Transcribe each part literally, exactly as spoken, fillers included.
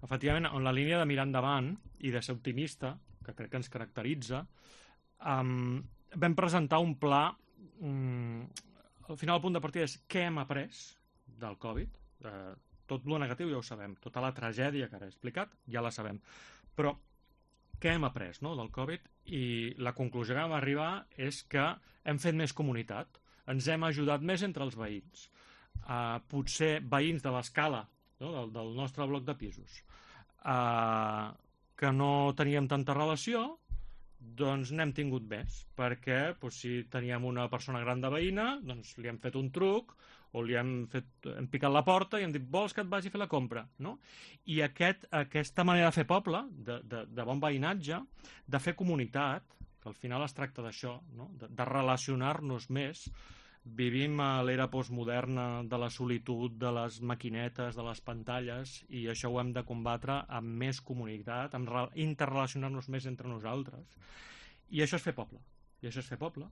efectivament, en la línia de mirar endavant i de ser optimista, que crec que ens caracteritza, um, vam presentar un pla. Um, al final el punt de partida és què hem après del Covid. Uh, tot lo negatiu ja ho sabem, tota la tragèdia que ara he explicat ja la sabem, però què hem après, no, del Covid? I la conclusió que vam arribar és que hem fet més comunitat, ens hem ajudat més entre els veïns. Uh, potser veïns de l'escala, no, del, del nostre bloc de pisos, uh, que no teníem tanta relació, doncs n'hem tingut més, perquè doncs, si teníem una persona gran de veïna, doncs li hem fet un truc, o li hem, fet, hem picat la porta i hem dit, vols que et vagi a fer la compra? No? I aquest, aquesta manera de fer poble, de, de, de bon veïnatge, de fer comunitat, que al final es tracta d'això, no? de, de relacionar-nos més. Vivim a l'era postmoderna de la solitud, de les maquinetes, de les pantalles, i això ho hem de combatre amb més comunitat, amb interrelacionar-nos més entre nosaltres. I això és fer poble. I això és fer poble.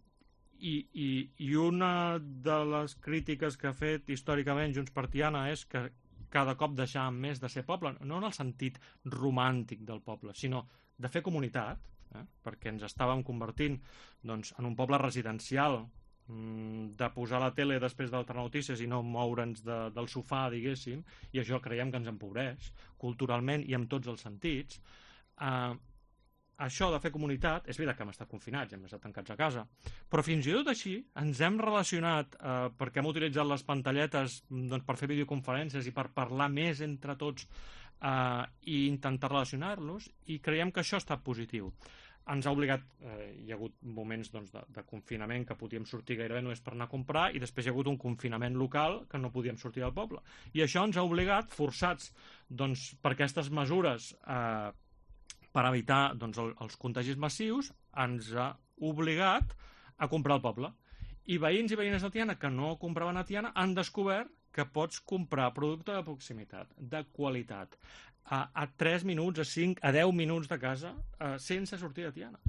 I, i, i una de les crítiques que ha fet històricament Junts per Tiana és que cada cop deixàvem més de ser poble, no en el sentit romàntic del poble, sinó de fer comunitat, eh? perquè ens estàvem convertint doncs, en un poble residencial, de posar la tele després d'altres notícies i no moure'ns de, del sofà, diguéssim, i això creiem que ens empobreix culturalment i en tots els sentits. Uh, això de fer comunitat, és veritat que hem estat confinats, hem estat tancats a casa, però fins i tot així ens hem relacionat uh, perquè hem utilitzat les pantalletes doncs, per fer videoconferències i per parlar més entre tots uh, i intentar relacionar-los, i creiem que això ha estat positiu. Ens ha obligat, eh, hi ha hagut moments doncs, de, de confinament que podíem sortir gairebé només per anar a comprar, i després hi ha hagut un confinament local que no podíem sortir del poble. I això ens ha obligat, forçats doncs, per aquestes mesures eh, per evitar doncs, el, els contagis massius, ens ha obligat a comprar al poble. I veïns i veïnes de Tiana que no compraven a Tiana han descobert que pots comprar producte de proximitat, de qualitat, a, a tres minuts, a cinc, a deu minuts de casa, eh, sense sortir de Tiana.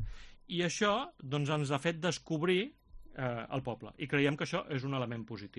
I això doncs, ens ha fet descobrir eh, el poble. I creiem que això és un element positiu.